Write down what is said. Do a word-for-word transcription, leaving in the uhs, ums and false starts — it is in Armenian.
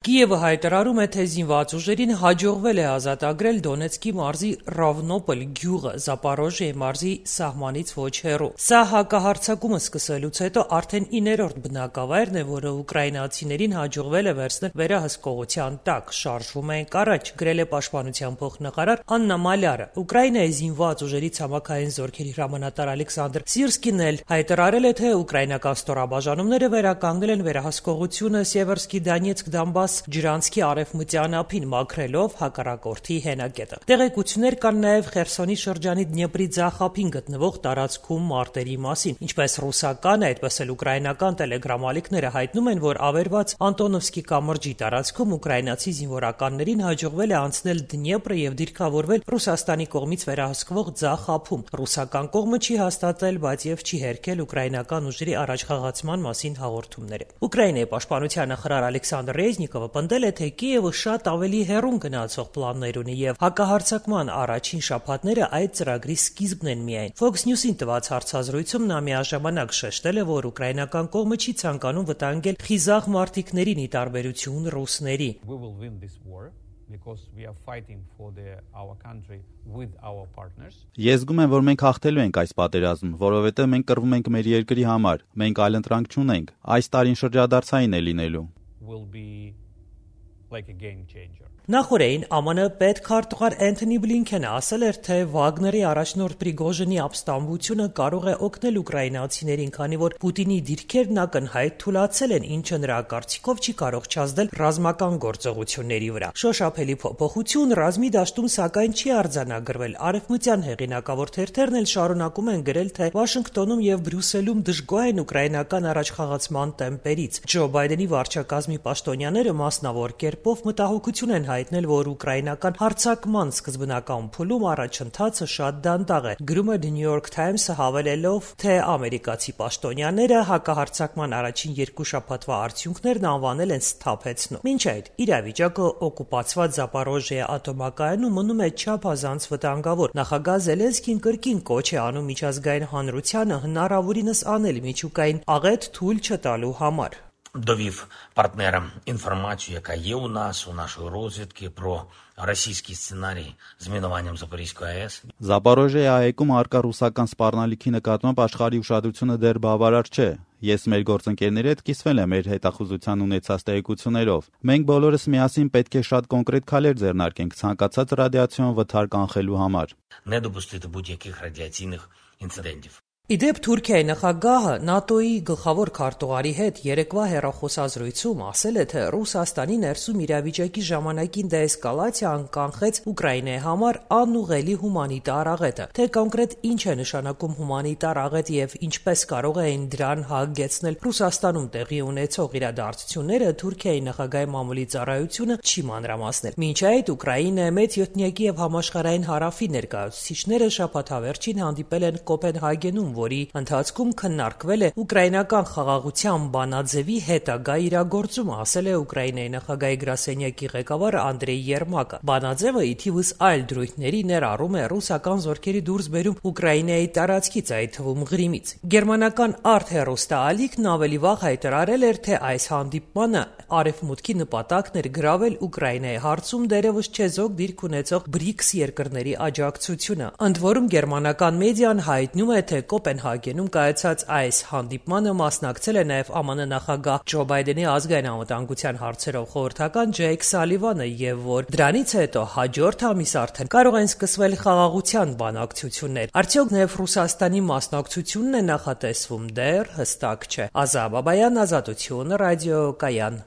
Կիևը հայտարարում է, թե զինված ուժերին հաջողվել է ազատագրել Դոնեցկի մարզի Ռովնոպոլ գյուղը Զապորոժիե մարզի սահմանից ոչ հեռու։ Սա հակահարձակումը սկսելուց հետո արդեն իններորդ բնակավայրն է, որը ուկրաինացիներին հաջողվել է վերցնել վերահսկողության տակ։ Շարժվում ենք առաջ, գրել է Պաշտպանության փոխնախարար Աննա Մալյարը։ Ուկրաինայի զինված ուժերի ցամաքային զորքերի հրամանատար Ալեքսանդր Սիրսկին էլ հայտարարել է, թե ուկրաինական ստորաբաժանումները վերականգնել են վերահսկողությունը Սևերսկի Դոնեցկ Դոնբաս ջրանցքի արևմտյան ափին, մաքրելով հակառակորդի հենակետը։ Տեղեկություններ կան նաև Խերսոնի շրջանի Դնեպրի ձախ ափին գտնվող տարածքում մարտերի մասին։ Ինչպես ռուսական, այդպես էլ ուկրաինական տելեգրամ-ալիքները հայտնում են, որ ավերված Անտոնովսկի կամրջի տարածքում ուկրաինացի զինվորականներին հաջողվել է անցնել Դնեպրը եւ դիրքավորվել Ռուսաստանի կողմից վերահսկվող ձախ ափում։ Ռուսական կողմը չի հաստատել, բայց եւ չի հերքել ուկրաինական ուժերի առաջխաղացման մասին հաղորդումները։ Ուկրաինայի պաշտպանության նախարար Ալեքսանդր Ռեզնիկովը պնդել է, թե Կիևը շատ ավելի հեռուն գնացող պլաններ ունի եւ հակահարձակման առաջին շաբաթները այդ ծրագրի սկիզբն են միայն։ Fox News-ին տված հարցազրույցում նա միաժամանակ շեշտել է, որ ուկրաինական կողմը չի ցանկանում վտանգել խիզախ մարտիկներին՝ ի տարբերություն ռուսների։ Ես զգում եմ, որ մենք հաղթելու ենք այս պատերազմը, որովհետև մենք կռվում ենք մեր երկրի համար, մենք այլընտրանք չունենք, այս տարին շրջադարձային է լինելու։ Նախորդին Է Մ Ն պետքարտուղար Էնթոնի Բլինքենը ասել էր, թե Վագների առաջնորդ Պրիգոժինի ապստամբությունը կարող է օգնել ուկրաինացիներին, քանի որ Պուտինի դիրքերն ակնհայտ թուլացել են, ինչը նրա կարծիքով չի կարող չազդել ռազմական գործողությունների վրա։ Շոշափելի փոփոխություն ռազմի դաշտում սակայն չի արձանագրվել։ Արևմտյան հեղինակավոր թերթերն էլ շարունակում են գրել, թե Վաշինգտոնում եւ Բրյուսելում դժգոհ են ուկրաինական առաջխաղացման տեմպերից։ Ջո Բայդենի վարչակազմի պաշտոնյաները մասնավոր կերպով մտահոգություն են հայտնել, որ ուկրաինական հարձակման սկզբնական փուլում առաջընթացը շատ դանդաղ է։ Գրում է The New York Times-ը հավելելով, թե ամերիկացի պաշտոնյաները հակահարձակման առաջին երկու շաբաթվա արդյունքներն անվանել են սթափեցնում։ Մինչ այդ իրավիճակը օկուպացված Զապորոժիե ատոմակայանում մնում է չափազանց վտանգավոր։ Նախագահ Զելենսկին կրկին կոչ է անում միջազգային հանրությանը հնարավորինս անել միջուկային աղետ թույլ չտալու համար։ Довів партнерам інформацію, яка є у нас, у нашої розвідки, про російський сценарій з мінуванням Запорізької АԵՍ։ Զապորոժիե այգում արկա ռուսական սպառնալիքի նկատմամբ աշխարհի ուշադրությունը դեռ բավարար չէ։ Ես մեր գործընկերների հետ կիսվել եմ մեր հետախուզության ունեցած տեղեկություններով։ Մենք բոլորս միասին պետք է շատ կոնկրետ քայլեր ձեռնարկենք ցանկացած ռադիացիոն վթար կանխելու համար։ Не допустити будь-яких радіаційних інцидентів։ Իդեպ Թուրքիայի նախագահը ՆԱՏՕ-ի գլխավոր քարտուղարի հետ երեկվա հեռախոսազրույցում ասել է, թե Ռուսաստանի ներսում իրավիճակի ժամանակին դեէսկալացիան կանխեց Ուկրաինայի համար անուղղելի հումանիտար աղետը։ Թե կոնկրետ ինչ է նշանակում հումանիտար աղետ եւ ինչպես կարող էին դրան հագեցնել Ռուսաստանում տեղի ունեցող իրադարձությունները, Թուրքիայի նախագահի մամուլի ծառայությունը չի մանրամասնել։ Մինչ այդ Ուկրաինայի մեծ յոթնյակի եւ համաշխարհային հարավի ներկայացուցիչները շաբաթավերջին հանդիպել են Կոպենհագենում, որի ընթացքում քննարկվել է ուկրաինական խաղաղության բանաձևի հետագա իրագործումը, ասել է Ուկրաինայի նախագահի գրասենյակի ղեկավար Անդրեյ Երմակը։ Բանաձևը ի թիվս այլ դրույթների ներառում է ռուսական զորքերի դուրսբերում Ուկրաինայի տարածքից, այդ թվում Ղրիմից։ Գերմանական Արտ հեռուստաալիքն ավելի վաղ հայտարարել էր, թե այս հանդիպմանը Արևմուտքի նպատակն էր գրավել Ուկրաինայի հարցում դերևս չեզոք դիրք ունեցող բրիկս երկրների աջակցությունը։ Ընդ որում գերմանական մեդիան հայտնում է, թե Կոպենհագենում կայացած այս հանդիպմանը մասնակցել է նաև Է Մ Ն նախագահ Ջո Բայդենի ազգային անվտանգության հարցերով խորհրդական Ջեյք Սալիվանը, եւ որ դրանից հետո հաջորդ ամիս արդեն կարող են սկսվել խաղաղության բանակցություններ։ Արդյոք նաև Ռուսաստանի մասնակցությունն է նախատեսվում, դեռ հստակ չէ։ Ազա Բաբայան, Ազատություն, ռադիոկայան։